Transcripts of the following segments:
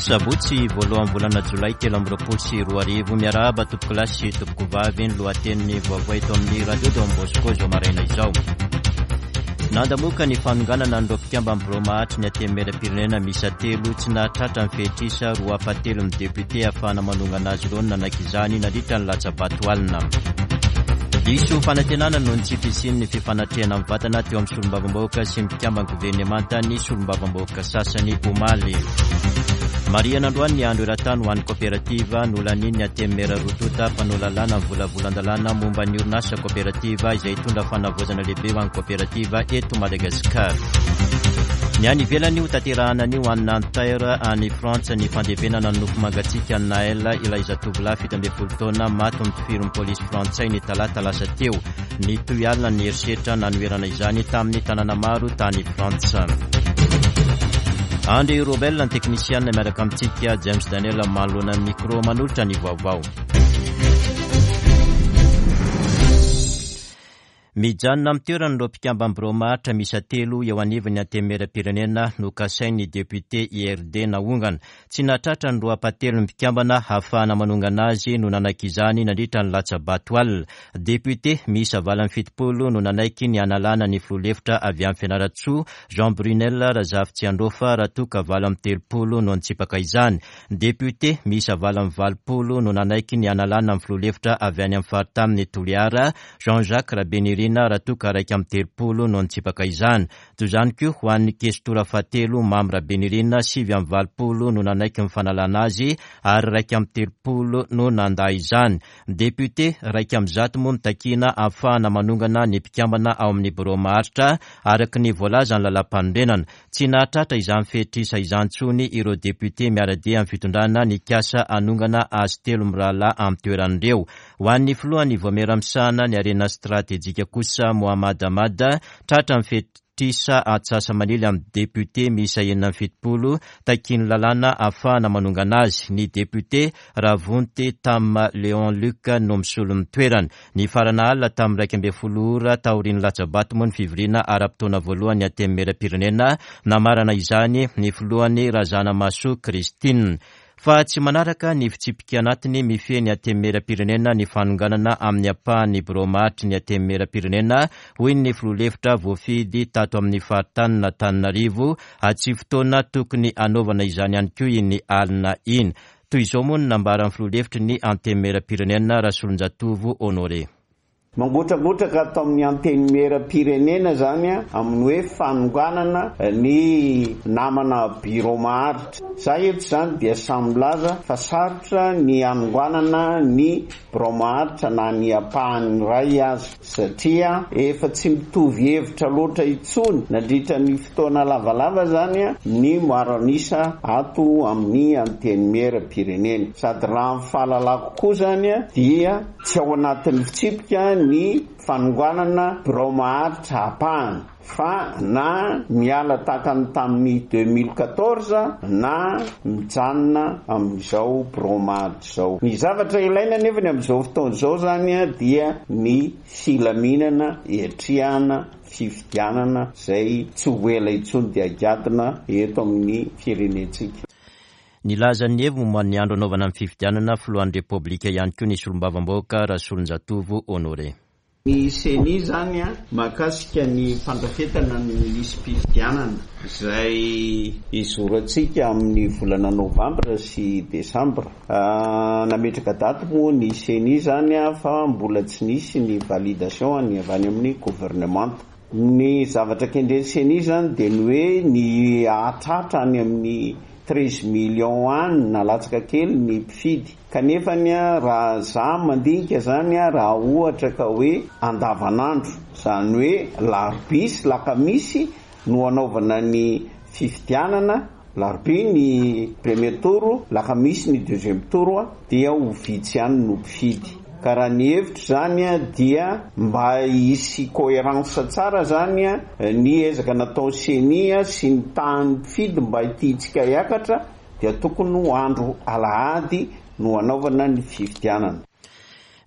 Sabotsy voalohan'ny volana jolay 2023. Miarahaba tompokolahy sy tompokovavy ny lohatenin'ny vaovao eto amin'ny Radio Don Bosco izao maraina izao. Nandamoka ny fanonganana an'ireo mpikamban'ny birao mahatry ny Antenimierampirenena miisa telo tsy nahatratra ny fehitrisa roa ampahatelon'ny député ahafahana manongana azy ireo no nanaiky izany nandritra ny latsa-bato alina. Diso fanantenana noho ny tsy fisian'ny fifanatrehana mivantana teo amin'ny solombavambahoaka sy ny mpikamban'ny governemanta ny solombavambahoaka sasany omaly. Marihana androany ny andro eran-tany ho an'ny koperativa nolanian'ny Antenimiera roa tonta mpanao lalàna ny volavolan-dalàna momba ny orinasa koperativa izay hitondra fanavaozana lehibe ho an'ny koperativa eto Madagasikara. Ny any ivelany ho tanterahana anio any Nanterre any Frantsa ny fandevenana ny nofo mangatsiaka an'i Naël ilay zatovolahy 17 taona maty notifirin'ny polisy frantsay ny talata lasa teo. Nitohy alina ny herisetra nanoherana izany tamin'ny tanàna maro tany Frantsa. Andry Robel ny teknisianina miaraka amintsika, James Daniel manoloana ny micro manolotra ny vaovao. Mijanona amin'ny toerany ireo mpikamban'ny birao maharitra miisa telo eo anivon'ny Antenimierampirenena nokasain'ny depiote IRD naongana. Tsy nahatratra ny roa ampahatelon'ny mpikambana hahafahana manongana azy no nanaiky izany nandritra ny latsa-bato alina. Depiote miisa 78 no nanaiky ny hanalana ny filoha lefitra avy any Fianarantsoa, Jean Brunel Razafitsiandraofa raha toa ka 38 no nitsipaka izany. Depiote miisa 88 no nanaiky ny hanalana ny filoha lefitra avy any amin'ny faritanin'i Toliara, Jean Jacques Rabenirina raha toa ka 31 no nitsipaka izany. Toy izany koa ho an'ny kestora fahatelo Mamy Rabenirina, 89 no nanaiky ny fanalana azy ary 31 no nandà izany. Depiote 101 moa no takiana ahafahana manongana ny mpikambana ao amin'ny birao maharitra araka ny voalazan'ny lalàmpanorenana. Tsy nahatratra izany fetr'isa izany intsony ireo depiote miara-dia amin'ny fitondrana nikasa hanongana azy telo mirahalahy amin'ny toeran'ireo. Ho an'ny filohan'ny Vaomiera misahana ny harena stratejika kosa, Mohammad Ahmad, tratra ny fetr'isa antsasa-manily amin'ny depiote miisa 76 takian'ny lalàna ahafahana manongana azy. Ny depiote Ravonty Tam Léon Luc no misolo ny toerany. Nifarana alina tamin'ny 11 ora taorian'ny latsa-bato moa ny fivoriana ara-potoana voalohan'ny Antenimierampirenena. Namarana izany ny filohany Razanamahasoa Christine. Fa tsy manaraka ny fitsipika anatiny mifehy ny Antenimierampirenena ny fanonganana amin'ny ampahan'ny birao maharitry ny Antenimierampirenena, hoy ny filoha lefitra voafidy tato amin'ny faritanin'Antananarivo, Tsy fotoana tokony hanaovana izany ihany koa iny alina iny. Toy izao moa no nambaran'ny filoha lefitry ny Antenimierampirenena, Rasolonjatovo Honoré. Mangotragotraka ato amin'ny Antenimierampirenena izany amin'ny hoe fanonganana ny namana birao maharitra. Za eto izany dia samy milaza fa sarotra ny hanonganana ny birao maharitra na ny ampahany iray aza. Satria efa tsy mitovy hevitra loatra intsony nandritra ny fotoana lavalava izany ny maro an'isa ato amin'ny Antenimieram-pirenena. Sady raha ny fahalalako koa izany dia tsy ao anatin'ny fitsipika ny fanonganana birao maharitra ampahany fa na miala tahaka ny tamin'ny 2014 na mijanona amin'izao birao maharitra. Izao. Ny zavatra ilaina anefa ny amin'izao fotoana izao izany dia ny filaminana hiatrehana fifidianana izay tsy ho ela intsony dia higadona eto amin'ny firenentsika. Nilaza ny heviny momba ny andro hanaovana ny fifidianana filohan'ny Repoblika ihany koa ny solombavambahoaka Rasolonjatovo Honoré. Ny Ceni izany mahakasika ny fandrafetana ny lisi-pifidianana izay hizorantsika amin'ny volana novambra sy desambra. Nametraka daty moa ny Ceni izany fa mbola tsy nisy ny validation ny avy any amin'ny governemanta. Ny zavatra kendren'ny Ceni izany dia ny hoe ny hahatratra any amin'ny treize millions any na latsaka kely ny mpifidy. Kanefany raha za mandinika zany raha ohatra ka hoe andavanandro, zany hoe larobia sy lakamisy no anaovana ny fifidianana, larobia ny premier tour, lakamisy ny deuxième tour dia ho vitsy ihany no mpifidy. Ka raha ny hevitro zany dia mba hisy coherence tsara zany ny ezaka nataon'ny ceni sy ny tahan'ny mpifidy mba tiantsika hiakatra dia tokony ho andro alahady no hanaovana ny fifidianana.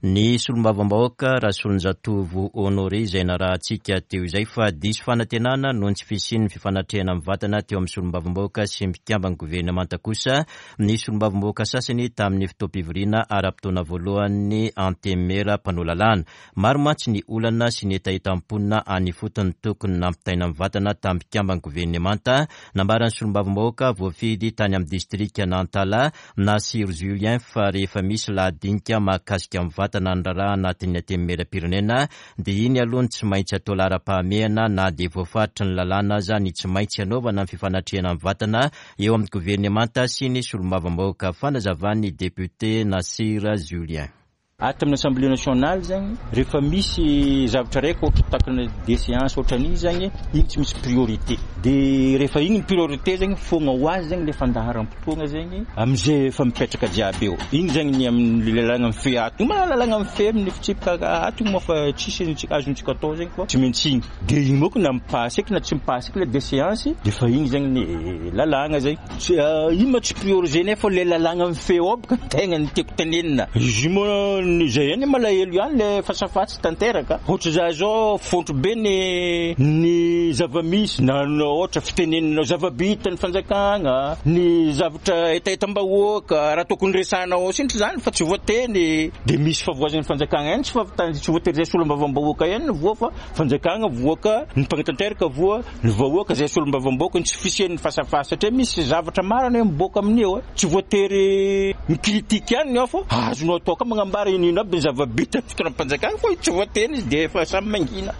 Ny solombavambahoaka Rasolonjatovo Honoré izay narahantsika teo izay fa diso fanantenana noho ny tsy fisian'ny fifanatrehana mivantana teo amin'ny solombavambahoaka sy ny mpikamban'ny governemanta kosa ny solombavambahoaka sasany tamin'ny fotoam-pivoriana ara-potoana voalohan'ny Antenimiera mpanao lalàna. Maro mantsy ny olana sy ny hetahetam-ponina any ifotony tokony nampitaina mivantana tamin'ny mpikamban'ny governemanta, nambaran'ny solombavambahoaka voafidy tany amin'ny distrikan'Antala, Nasir Julien fa rehefa misy lahadinika mahakasika mivantana ny raharaha anatin'ny Antenimierampirenena dia iny aloha no tsy maintsy atao laharam-pahamehana na dia voafaritry ny lalàna aza ny tsy maintsy hanaovana ny fifanatrehana mivantana eo amin'ny governemanta sy ny solombavambahoaka, fanazavan'ny depiote Nasir Julien. Ato amin'ny Assemblée nationale zagny, rehefa misy zavatra raiky ohatra takina déchéance ohatran'igny zagny, igny tsy misy priorité. De rehefa igny ny priorité zagny, foagna ho azy zagny le fandaharam-potoagna zagny am'zay efa mipetraka jiaby eo. Igny zagny ny amin'ny lalàgna mifehy ato. Igny ma lalàgna mifehy amin'ny fitsipika ato igny moa fa tsisy azontsika atao zegny fa tsy maintsy igny. De igny manko na mi-passe eky na tsy mi-passe eky le déchéance de fa igny zegny ny lalàgna zay. Tsy io ma tsy prioriser-nay fa le lalàgna mifehy ao boka tegna ny tiako tenenina. Izy io moa ny zay ihany malahelo ihany le fasafa tsy tanteraka. Ohatra za zao fontro be ny ny zava-misy na ohatra fitenenana zava-bita ny fanjakagna, ny zavatra hetahetam-bahoaka raha tokony resahana ao sinitry zany fa tsy voateny de misy favoazan'ny fanjakagna ihany tsy fahavitana tsy voatery zay solombavambahoaka ihany no voa fa fanjakagna voa ka ny mpanatanteraka voa Ny vahoaka izay solombavambahoaka ny tsy fisian'ny fasafasa satria misy zavatra maro anie miboaka amin'io e, tsy voatery mi-critique ihany ny ao fa azonao atao koa magnambara ino ino aby ny zava-bita ny fitondram-panjakana fa tsy voateny izy dia efa samy mangina.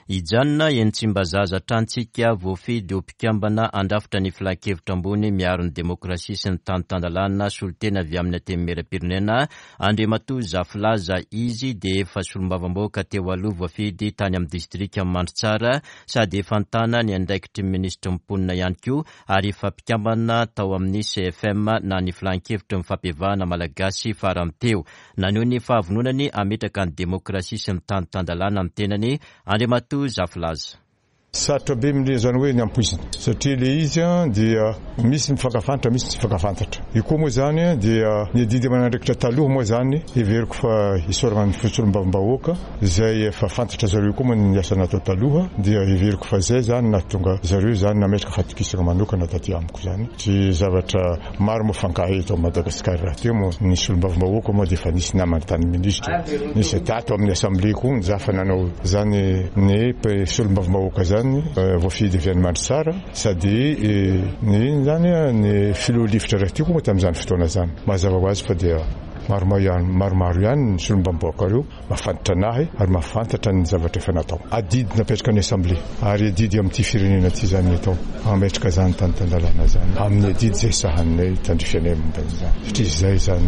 Hijanona eny Tsimbazaza hatrany tsika voafidy ho mpikambana handrafitra ny Filankevitra ambony miaro ny demokrasia sy ny tany tan-dalàna solontena avy amin'ny Antenimierampirenena Andriamatoa Zafilaza izy dia efa solombavambahoaka teo aloha voafidy tany amin'ny distrikan'i Mandritsara sady efa nitana ny andraikitry ny minisitry ny mponina ihany koa ary efa mpikambana tao amin'ny CFM na ny filankevitry ny fampihavahana malagasy farany teo. Naneho ny fahavononany hametraka ny demokrasia sy ny tany tan-dalàna ny tenany Andriamatoa Zafilaza. Sarotra be mle zany hoe ny ampoizina satria le izy dia misy mifankafantatra misy tsy mifankafantatra. Io koa moa zany dia ny adidy aman'andraikitra taloha moa zany heveriko fa isaorana ny solombavambahoaka izay efa fantatra zareo koa moa ny asa natao taloha dia heveriko fa zay zany nahatonga zareo zany nametraka fatokisana manokana taty amiko zany. Tsy zavatra maro moa fankahay eto Madagasikara rahateo moa ny solombavambahoaka moa dia efa nisy namana tany minisitra nisy tato amin'ny assemblée koa za fa nanao zany ny solombavambahoaka zany voafidy avy any Mandritsara sady ny zany ny filoha lefitra rahateo koa moa tamin'izany fotoana zany mazava ho azy fa dia maromaro ihany ny solombavambahoaka reo Mahafantatra an'ahy ary mahafantatra ny zavatra efa natao. Adidy napetraka ny Assemblée ary adidy amin'ity firenena ity izany ny atao hametraka izany tany tan-dalàna izany amin'ny adidy izay sahaninay tandrify anay momba an'izany satria izay izany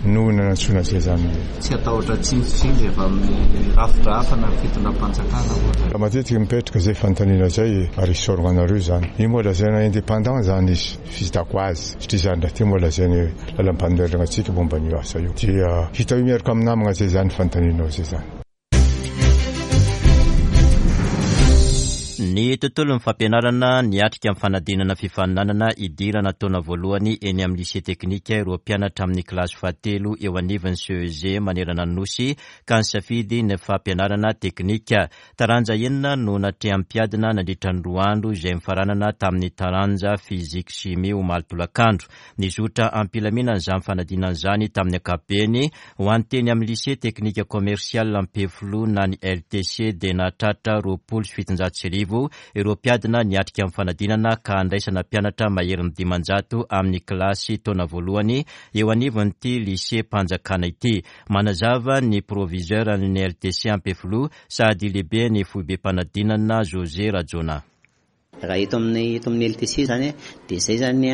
no nanantsoina izay izany. Tsy hatahotra tsindritsindry avy amin'ny rafitra hafa na fitondram-panjakana ohatra. Matetika mipetraka izay fanontaniana izay ary isaorana anareo izany. Io moa lazaina indépendant izany izy. Fitako azy satria izany rahateo moa lazainy hoe lalam-panonerana antsika momba an'io asa io dia hita io miaraka amin'ny namagna zay izany fanontanianao zay izany. Ny tontolon'ny fampianarana niatrika ny fanadinana fifaninanana hidirana taona voalohany eny amin'ny lycée teknika ireo mpianatra amin'ny kilasy fahatelo eo anivon'ny CEG manerana ny Nosy ka nisafidy ny fampianarana teknika. Taranja enina no natrehan'ny mpiadina nandritra ny roa andro izay nifaranana tamin'ny taranja Physique Chimie omaly tolakandro. Nizotra am-pilaminana izany fanadinana izany tamin'ny ankapobeny. Ho an'ny teny amin'ny Lycée Technique Commercial Ampefiloha na ny LTC dia nahatratra 1720 ireo mpiadina niatrika ny fanadinana ka handraisana mpianatra maherin'ny 500 amin'ny kilasy taona voalohany eo anivon'ity lycée-mpanjakana ity. Manazava ny proviseur an'ny LTC Ampefiloha sady lehiben'ny foibem-panadinana José Rajaonah. Raha eto amin'ny eto amin'ny LTC izany dia izay izany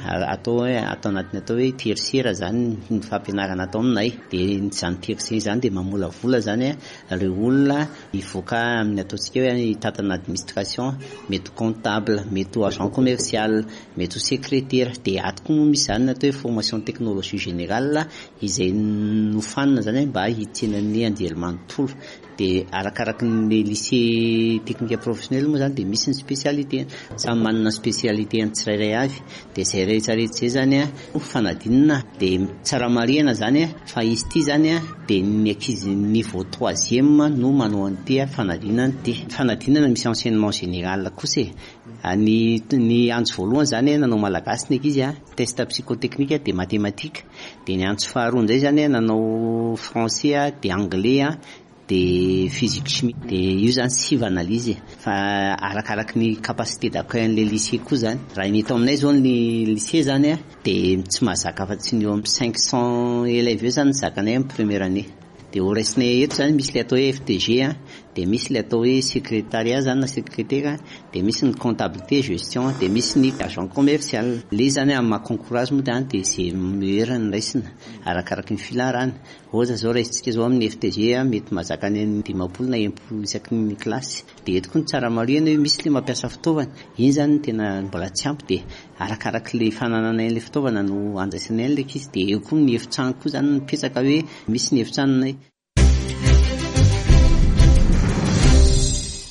atao hoe ato anatin'ny atao hoe tertiaire izany ny fampianarana atao aminay. Dia izany tertiaire izany dia mamolavola izany ireo olona hivoaka amin'ny ataontsika hoe hitantana administration, mety ho comptable, mety ho agent commercial, mety ho secrétaire. Dia ato koa moa misy izany ny atao hoe formation technologie générale izay nofanina izany mba hitsenan'ny anjerimanontolo. Dia arakaraky ny lycée technique professionnel moa izany dia misy ny spécialité. Samy manana spécialité-ny tsirairay avy. Dia izay rehetra rehetra izay izany fanadinana. Dia tsara marihana izany fa izy ity izany dia ny ankizy niveau troisième no manao an'ity fanadinana ity. Fanadinana misy enseignement général kosa e. Ny ny antso voalohany izany nanao malagasy ny ankizy, test psychotechnique dia mathématique. Dia ny antso faharoa indray izany nanao français dia anglais dia physique chimie. Dia io izany sivana ilay izy e. Fa arakaraky ny capacité d'accueil an'ilay lycée koa izany. Raha ny eto aminay izao ny lycée izany dia tsy mahazaka afa-tsy ny eo amin'ny 500 élèves eo izany ny zakanay amin'ny première année. Dia ho raisinay eto izany misy ilay atao hoe FTG, dia misy ilay atao hoe secrétariat izany na secrétaire, dia misy ny comptabilité gestion, dia misy ny agent commercial. Ilay izy izany amin'ny maha concours azy moa izany dia izay meilleur no raisina arakaraky ny filaharana. Ohatra izao raisintsika izao amin'ny FTG mety mahazaka any amin'ny 50 na 60 isaky ny kilasy. Dia eto koa ny tsara marihana hoe misy ilay mampiasa fitaovana, iny izany no tena mbola tsy ampy dia arakarak'ilay fanananay an'ilay fitaovana no andraisanay an'ilay ankizy. Dia eo koa ny efitrano koa izany mipetraka hoe misy ny efitranonay.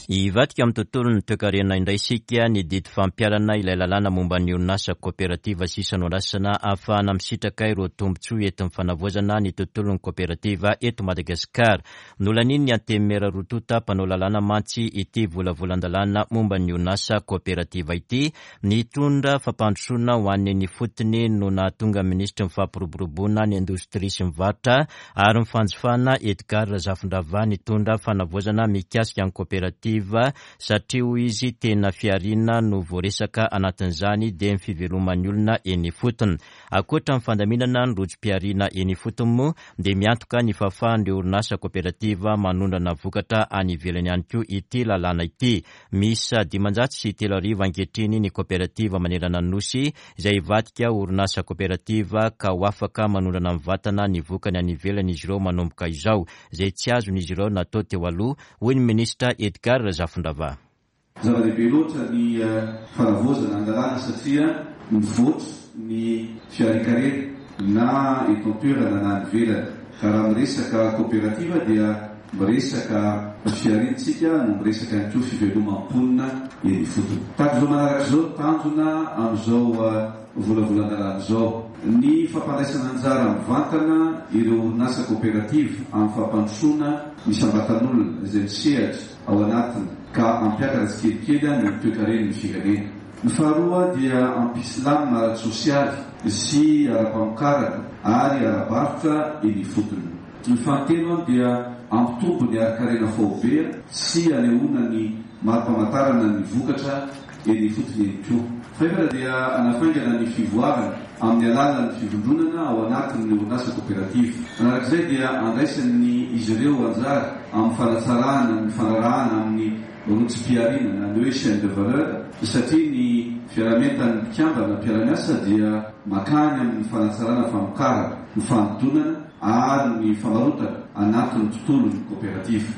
Hivadika amin'ny tontolon'ny toekarena indray isika ny didy fampiharana ilay lalàna momba ny orinasa koperativa sisa noraisina ahafahana misitraka ireo tombontsoa entin'ny fanavaozana ny tontolon'ny koperativa eto Madagasikara. Nolanian'ny Antenimiera roa tonta mpanao lalàna mantsy ity volavolan-dalàna momba ny orinasa koperativa ity. Nitondra fampandrosoana ho an'ny eny ifotony no nahatonga ny minisitry ny fampiroboroboana ny indostria sy ny varotra ary ny fanjifana Edgard Razafindravahy nitondra fanavaozana mikasika ny koperativa satria hoy izy tena fihariana no voaresaka anatin'izany dia ny fiveloman'ny olona eny ifotony. Ankoatra ny fandaminana ny rojom-pihariana eny ifotony moa dia miantoka ny fahafahan'ireo orinasa koperativa manondrana vokatra any ivelany ihany koa ity lalàna ity. Miisa 3500 ankehitriny ny koperativa manerana ny Nosy izay hivadika ho orinasa koperativa ka ho afaka manondrana mivantana ny vokany any ivelany izy ireo manomboka izao, izay tsy azon'izy ireo natao teo aloha, hoy ny minisitra Edgard Razafindravahy. Zava-dehibe loatra ny fanavaozana ny lalàna satria mivoatra ny fiharinkarena na eto an-toerana na any ivelany. Ka raha miresaka koperativa dia miresaka fihariantsika no miresaka ihany koa fivelomam-ponina eny ifotony. Tahaka izao manaraka izao ny tanjona amin'izao volavolan-dalàna izao. Ny fampandraisana anjara mivantana ireo orinasa koperativa amin'ny fampandrosoana ny isam-batan'olona izay misehatra ao anatiny ka hampiakatra tsikelikely ny toekaren'ny firenena. Ny faharoa dia hampisy lamina ara-tsosialy sy ara-pamokarana ary ara-barotra eny ifotony. Ny fahatelo dia hampitombo ny harin-karena faobe sy hanehoana ny mari-pamantarana ny vokatra eny ifotony ihany koa. Fahefatra dia hanafaingana ny fivoarana amin'ny alalan'ny fivondronana ao anatin'ny orinasa koperativa. Manarak'izay dia handraisan'ny izy ireo anjara amin'ny fanatsarana ny fanarahana amin'ny rojom-pihariana na ny hoe chaîne de valeur satria ny fiaraha-mientan'ny mpikambana mpiara-miasa dia makany amin'ny fanatsarana famokarana, ny fanodonana ary ny famarotana anatin'ny tontolon'ny koperativa.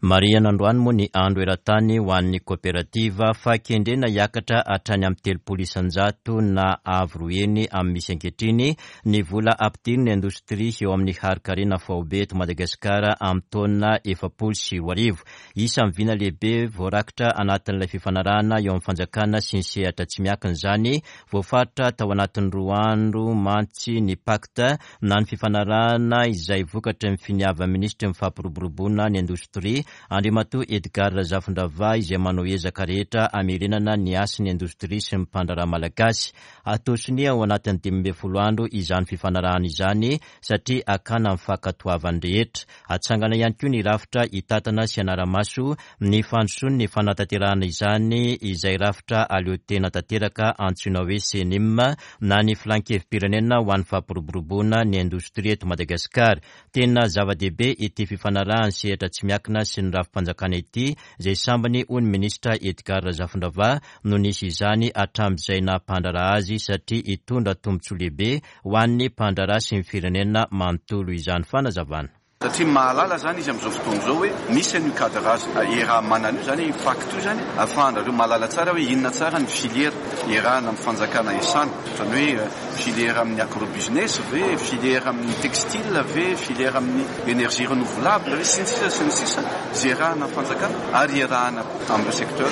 Marihana androany moa ny andro eran-tany ho an'ny koperativa fa kendrena hiakatra hatrany amin'ny 30% na avo roa heny amin'ny misy ankehitriny ny vola ampidirin'ny indostria eo amin'ny harin-karena faobe eto Madagasikara amin'ny taona 2040. Isan'ny vina lehibe voarakitra anatin'ilay fifanarahana eo amin'ny fanjakana sy ny sehatra tsy miankina izany. Voafaritra tao anatin'ny roa andro mantsy ny pacte na ny fifanarahana izay vokatry ny finiavan'ny minisitry ny fampiroboroboana ny indostria, Andriamatoa Edgard Razafindravahy izay manao ezaka rehetra hamerenana ny hasin'ny indostria sy ny mpandraharaha malagasy. Hatao sonia ao anatin'ny 15 andro izany fifanarahana izany satria hakana ny fankatoavan'ny rehetra. Hatsangana ihany koa ny rafitra hitantana sy hanara-maso ny fandrosoan'ny fanatanterahana izany izay rafitra aleo tena tanteraka antsoina hoe Cenim na ny Filan-kevi-pirenena ho an'ny fampiroboroboana ny indostria eto Madagasikara. Tena zava-dehibe ity fifanarahan'ny sehatra tsy miankina sy ny rafi-panjakana ity izay sambany hoy ny minisitra Edgard Razafindravahy no nisy izany hatramin'izay naha mpandraharaha azy satria hitondra tombontsoa lehibe ho an'ny mpandraharaha sy ny firenena manontolo izany fanazavana. Satria mahalala izany izy amin'izao fotoana izao hoe misy an'io cadrage iaraha-manana io, izany hoe io pacte io izany ahafahanareo mahalala tsara hoe inona tsara ny filière iarahana amin'ny fanjakana iasana. Izany hoe filière amin'ny agro-business ve, filière amin'ny textile ve, filière amin'ny énergie renouvelable ve, sy ny sisa sy ny sisa izay iarahana amin'ny fanjakana ary iarahana amin'ireo secteur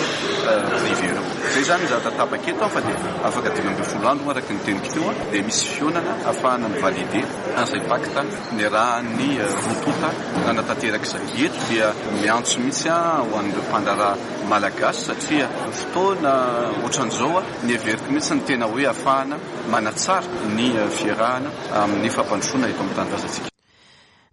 privé ireo. Izay izany ny zavatra tapaka eto fa dia afaka 15 andro moa araka ny teniko teo dia misy fihaonana ahafahana mi-valider an'izay pacte niarahan'ny roa tonta nanatanteraka izay. Eto dia miantso mihitsy aho ho an'ireo mpandraharaha malagasy satria fotoana ohatran'izao ny heveriko mihitsy ny tena hoe ahafahana manatsara ny fiarahana amin'ny fampandrosoana eto amin'ny tanindrazantsika.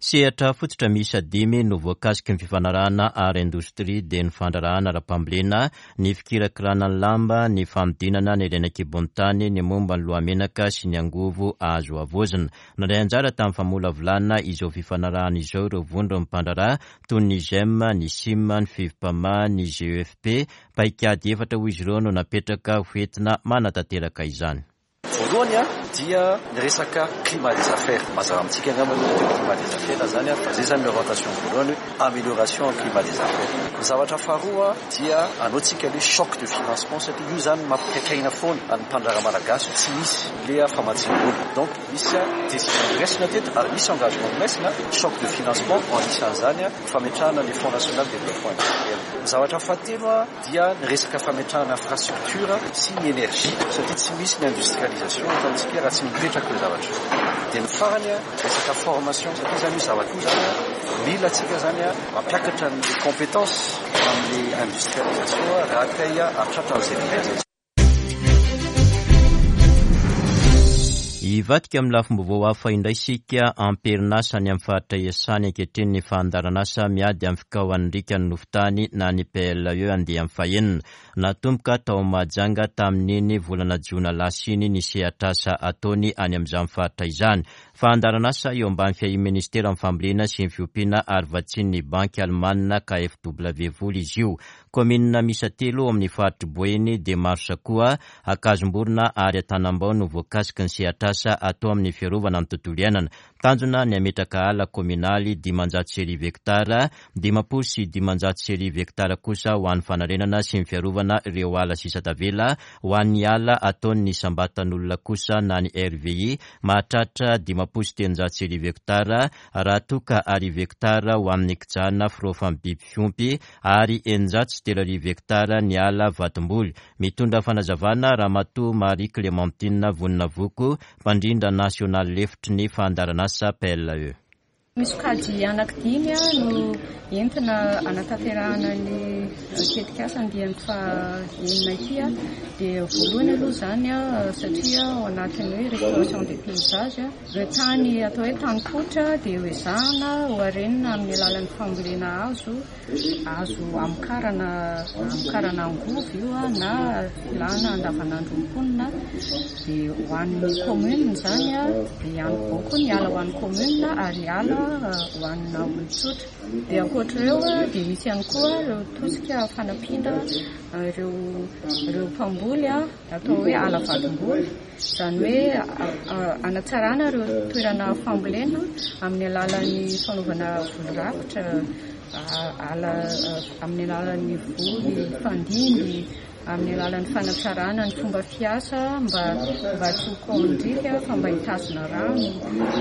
Sehatra fototra miisa dimy no voakasiky ny fifanarahana ara-indostria dia ny fandraharahana ara-pambolena, ny fikirakirana ny lamba, ny fanodinana ny harena an-kibon'ny tany, ny momba ny lohamenaka sy ny angovo azo havaozina. Nandray anjara tamin'ny famolavolana izao fifanarahana izao ireo vondron'ny mpandraharaha toy ny Gem, ny Sim, ny Fivmpama, ny GEFP. Paikady efatra hoy izy ireo no napetraka ho entina manatanteraka izany. Voalohany dia ny resaka climat des affaires. Mazava amintsika angamba ny hoe climat des affaires izany fa izay izany ny orientation voalohany hoe amélioration ny climat des affaires. Ny zavatra faharoa dia anaontsika le choc de financement satria io izany mampikaikaina foana ny mpandraharaha malagasy hoe tsy misy le famatsiam-bola. Donc misy décision noraisina teto ary misy engagement noraisina, choc de financement anisan'izany ny fametrahana le fonds national développement industriel. Ny zavatra fahatelo dia ny resaka fametrahana infrastructure sy ny énergie satria tsy misy ny industrialisation eto amintsika raha tsy mipetraka ireo zavatra ireo. Dia ny farany resaka formation satria izany io zavatra io izany mila antsika izany mampiakatra ny compétence amin'ny industrialisation raha te hahatratra an'izay vina izay. Hivadika amin'ny lafim-baovao hafa indray isika, am-perinasa any amin'ny faritra iasany ankehitriny ny fandaharanasa miady amin'ny fikaohan'ny riaka ny nofon-tany na ny PLE andiany fahenina. Natomboka tao Mahajanga tamin'iny volana jona lasa iny ny sehatr'asa ataony any amin'izany faritra izany. Fandaharanasa eo ambany fiahian'ny Ministeran'ny Fambolena sy ny Fiompiana ary vatsian'ny Banky Alemana KfW vola izy io. Kaominina miisa telo ao amin'ny faritr'i Boeny dia Marosakoa, Ankazomborona ary Antanambao no voakasiky ny sehatr'asa atao amin'ny fiarovana ny tontolo iainana. Tanjona ny hametraka ala kaominaly 1500 hektara, 1550 hektara kosa ho an'ny fanarenana sy ny fiarovana ireo ala sisa tavela, ho an'ny ala ataon'ny isam-batan'olona kosa na ny RVI mahatratra 1350 hektara raha toa ka 1000 hektara ho amin'ny kijana firaofan'ny biby fiompy ary 3600 hektara ny ala vatomboly. Mitondra fanazavana Ramatoa Marie Clémentine Voninavoko, mpandrindra nasionaly lefitry ny fandaharanasa PLE. Misy sokajy anankidimy no entina hanatanterahana ny tetikasa andiany faha-enina ity. Dia voalohany aloha izany satria ao anatin'ny hoe restauration des paysages, ireo tany atao hoe tany kotra dia ho ezahana ho harenina amin'ny alalan'ny fambolena hazo. Azo amokarana amokarana angovo io na filana andavanandron'ny mponina dia ho an'ny commune izany dia ihany koa koa ny ala ho an'ny commune ary ala ho an'ny olon-tsotra. Dia ankoatr'ireo dia misy ihany koa ireo tosika fanampiana ireo ireo mpamboly atao hoe ala vadim-boly. Izany hoe hanatsarana ireo toerana fambolena amin'ny alalan'ny fanaovana voly rakotra, ala amin'ny alalan'ny voly fandimby, amin'ny alalan'ny fanatsarana ny fomba fiasa mba mba tsy ho kaon-driaka fa mba hitazona rano.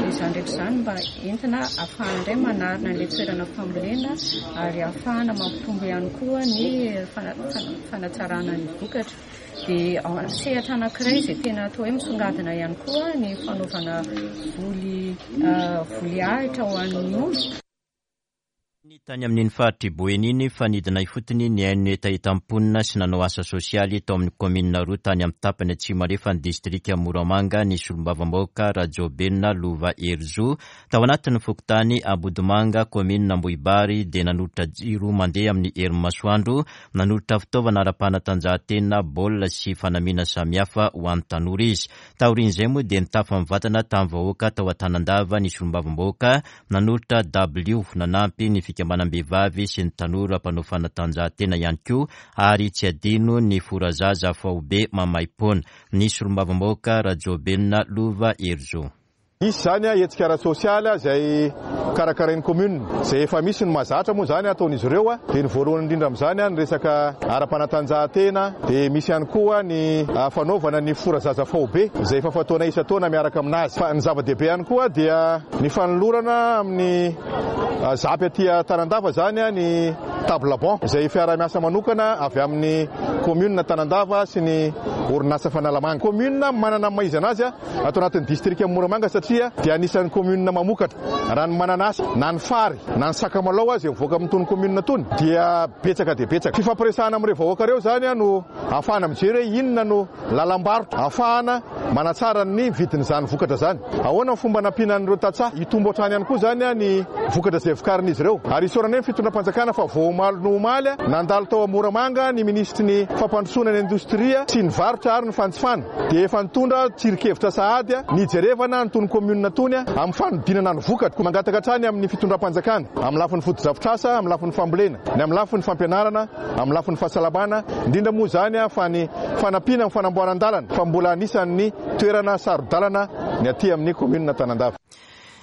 Izany rehetra izany mba entina ahafahana indray manarina ilay toerana fambolena ary ahafahana mampitombo ihany koa ny fanatsarana ny vokatra. Dia sehatra anankiray izay tena atao hoe misongadina ihany koa ny fanaovana voly voly ahitra ho an'ny omby. Tany amin'iny faritr'i Boeny iny fa nidina ifotony nihaino ny hetahetan'ny mponina sy nanao asa sosialy tao amin'ny kaominina roa tany amin'ny tapany atsimo andrefan'ny distrika Moramanga ny solombavambahoaka Rajaobelina Lova Herizo. Tao anatin'ny fokontany Ambodimanga, kaominina Ambohibary dia nanolotra jiro mandeha amin'ny herin'ny masoandro Nanolotra fitaovana ara-panatanjahantena, baolina sy fanamiana samihafa ho an'ny tanora izy. Taorian'izay moa dia nitafa mivantana tamin'ny vahoaka tao Antanandava ny solombavambahoaka, nanolotra dabilio, nanampy ny fikambanam-behivavy sy ny tanora mpanao fanatanjahantena ihany koa ary tsy adino ny forazaza faobe maimaimpoana. Ny solombavambahoaka Rajaobelina Lova Herizo. Hisy izany hetsika ara-tsosialy izay karakarain'ny commune, izay efa misy ny mahazatra moa izany ataon'izy ireo, dia ny voalohany indrindra amin'izany ny resaka ara-panatanjahantena, dia misy ihany koa ny fanaovana ny fora zaza faobe izay efa fataonay isan-taona miaraka aminazy. Fa ny zava-dehibe ihany koa dia ny fanolorana amin'ny ZAP aty Tanandava izany ny table banc izay fiaraha-miasa manokana avy amin'ny commune Tanandava sy ny orinasa Fanalamanga. Commune manana ny maha izy anazy. Ato anatin'ny distrikan'i Moramanga satria dia anisan'ny commune mamokatra raha ny mananasy na ny fary na ny sakamalao aza mivoaka amin'itony commune itony dia betsaka dia betsaka. Fifampiresahana amin'ireo vahoaka ireo izany no ahafahana mijery hoe inona no lalam-barotra ahafahana manatsara ny vidin'izany vokatra izany. Ahoana ny fomba hanampiana an'ireo tantsaha hitombo hatrany ihany koa izany ny vokatra izay vokarin'izy ireo. Ary isaorana ny fitondram-panjakana fa vao omaly no omaly nandalo tao Moramanga ny minisitry ny fampandrosoana ny indostria sy ny varotra ary ny fanjifana. dia efa nitondra tsirin-kevitra sahady ny hijerevana an'itony kaominina itony amin'ny fanodinana ny vokatra. Koa mangataka hatrany amin'ny fitondram-panjakana, amin'ny lafiny fotodrafitrasa, amin'ny lafiny fambolena, ny amin'ny lafiny fampianarana, amin'ny lafiny fahasalamana, indrindra moa izany fa ny fanampiana amin'ny fanamboaran-dalana fa mbola anisan'ny toerana saro-dalana ny aty amin'ny kaominina Tanandava.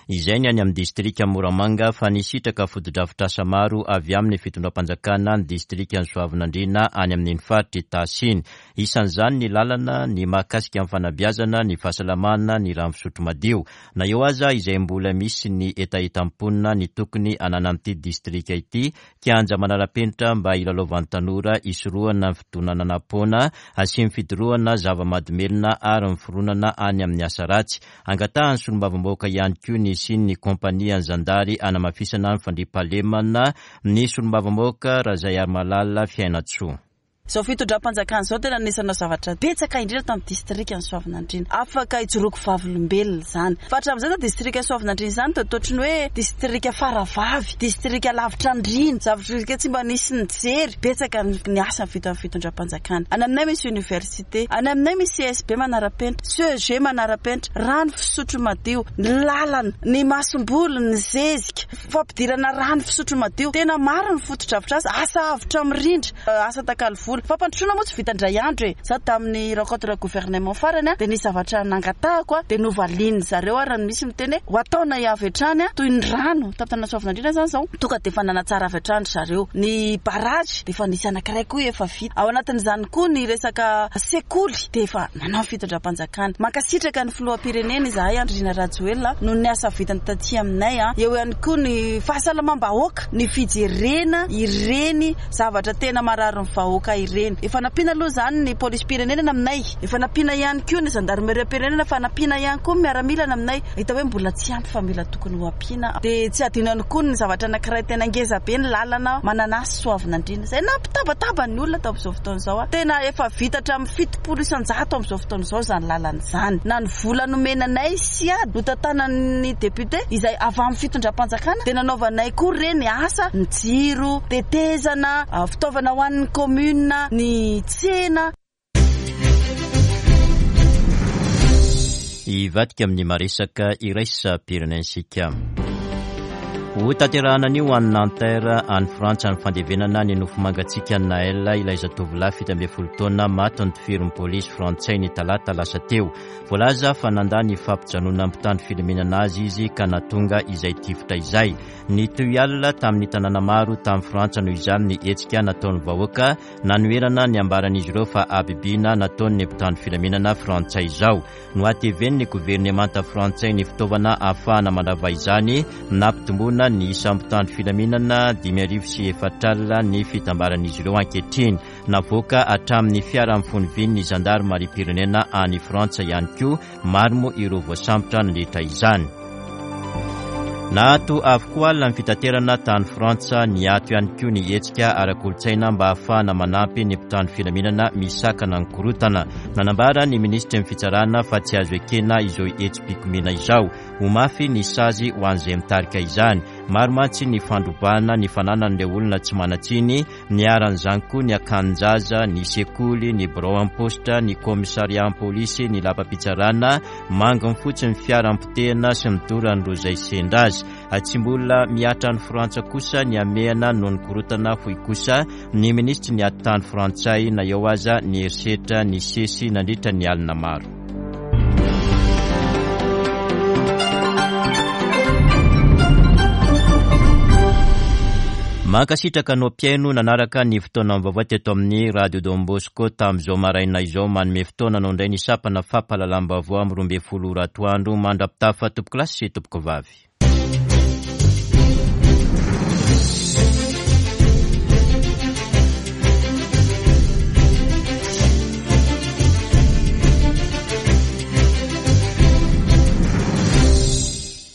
Izay ny any amin'ny distrika Moramanga fa nisitraka fotodrafitrasa maro avy amin'ny fitondram-panjakana ny distrikan'i Soavinandriana any amin'iny faritra Itasy iny. Isan'izany ny lalana, ny mahakasika ny fanabeazana, ny fahasalamana, ny rano fisotro madio. Na eo aza izay mbola misy ny hetahetan'ny mponina ny tokony hananan'ity distrika ity kianja manara-penitra mba hilalaovan'ny tanora hisorohana ny fidonanana-poana sy ny fidorohana zava-mahadomelina ary ny fironana any amin'ny asa ratsy. Angatahan'ny solombavambahoaka ihany koa ny hisian'ny kaompanian'ny zandary hanamafisana ny fandriampahalemana ny solombavambahoaka Razaiarimalala Fiainantsoa. Izao fitondram-panjakana izao tena anisan'ireo zavatra betsaka indrindra tamin'ny distrikan'i Soavinandriana. Afaka ijoroako vavolombelona izany. Fa hatramin'izay izany distrikan'i Soavinandriana izany dia toa ohatran'ny hoe distrika faravavy, distrika lavitra andriana, zavatra tsy mba nisy nijery. Betsaka ny asa vitan'ny fitondram-panjakana. Any aminay misy université, any aminay misy CSB manara-penitra, CEG manara-penitra, rano fisotro madio, ny lalana, ny masomboly, ny zezika, fampidirana rano fisotro madio. Tena maro ny fotodrafitrasa, asa avotra mirindra. Asa takalo vola. Fampandrosoana moa tsy vita indray andro e. Za tamin'ny rencontre gouvernement farany dia nisy zavatra nangatahako dia novalian'ny zareo ary misy miteny hoe ho ataonay avy hatrany toy ny rano tamin'ny tanàna Soavinandriana izany izao tonga dia efa nanatsara avy hatrany ry zareo. Ny barrage dia efa nisy anankiray koa efa vita. Ao anatin'izany koa ny resaka sekoly dia efa nanao ny fitondram-panjakana. Mankasitraka ny filoham-pirenena izahay Andry Nirina Rajoelina noho ny asa vitany taty aminay. Eo ihany koa ny fahasalamam-bahoaka, ny fijerena ireny Zavatra tena marary ny vahoaka ireny. Efa nampiana aloha izany ny polisim-pirenena aminay, efa nampiana ihany koa ny zandarimeriam-pirenena fa nampiana ihany koa ny miaramila aminay. Hita hoe mbola tsy ampy fa mila tokony ho ampiana. Dia tsy adino ihany koa ny zavatra anankiray tena ngeza be ny lalana Mananasy Soavinandriana izay nampitabataba ny olona tamin'izao fotoana izao. Tena efa vita hatramin'ny 70% amin'izao fotoana izao izany lalana izany. Na ny vola nomena anay sy ady notantanan'ny député izay avy amin'ny fitondram-panjakana dia nanaovanay koa ireny asa, ny jiro, tetezana, fitaovana ho an'ny commune, ny tsena. Hivadika amin'ny maresaka iraisam-pirenentsika. Ho tanterahana anio any Nanterre, any Frantsa, ny fandevenana ny nofo mangatsiakan'i Naël, ilay zatovolahy 17 taona maty notifirin'ny polisy frantsay ny talata lasa teo. Voalaza fa nandà ny fampijanonan'ny mpitandro filaminana azy izy ka nahatonga izay tifitra izay. Nitohy alina tamin'ny tanàna maro tany Frantsa noho izany ny hetsika nataon'ny vahoaka nanoherana ny ambaran'izy ireo fa habibiana nataon'ny mpitandro filaminana frantsay izao. Nohatevenin'ny governemanta frantsay ny fitaovana ahafahana mandrava izany, nampitomboana ny isan'ny mpitandro filaminana 4004 ny fitambaran'izy ireo ankehitriny. Navoaka hatramin'ny fiara mifono vy ny zandarimariam-pirenena any Frantsa ihany koa, maro moa ireo voasambotra nandritra izany. Naato avokoa alina ny fitaterana tany Frantsa, niato ihany koa ny hetsika ara-kolontsaina mba hahafahana manampy ny mpitandro filaminana misakana ny korontana. Nanambara ny minisitry ny fitsarana fa tsy azo ekena izao hetsi-pikomiana izao. Ho mafy ny sazy ho an'izay mitarika izany. Maro mantsy ny fandrobana ny fananan'ireo olona tsy manan-tsiny Niharan'izany koa ny akanin-jaza, ny sekoly, ny birao am-paositra, ny kaomisariam-polisy, ny lapam-pitsarana, manginy fotsiny ny fiara nipotehina sy ny doran'ireo izay sendra azy. Tsy mbola mihatra any Frantsa kosa ny hamehana noho ny korontana hoy kosa ny minisitry ny atitany frantsay na eo aza ny herisetra nisesy nandritra ny alina maro. Mankasitraka anao mpihaino nanaraka ny fotoana vaovao teto amin'ny Radio Don Bosco tamin'izao maraina izao. Manome fotoana anao indray ny sampana fampahalalam-baovao amin'ny 12 ora atoandro. Mandra-pitafa tompokolahy sy tompokovavy.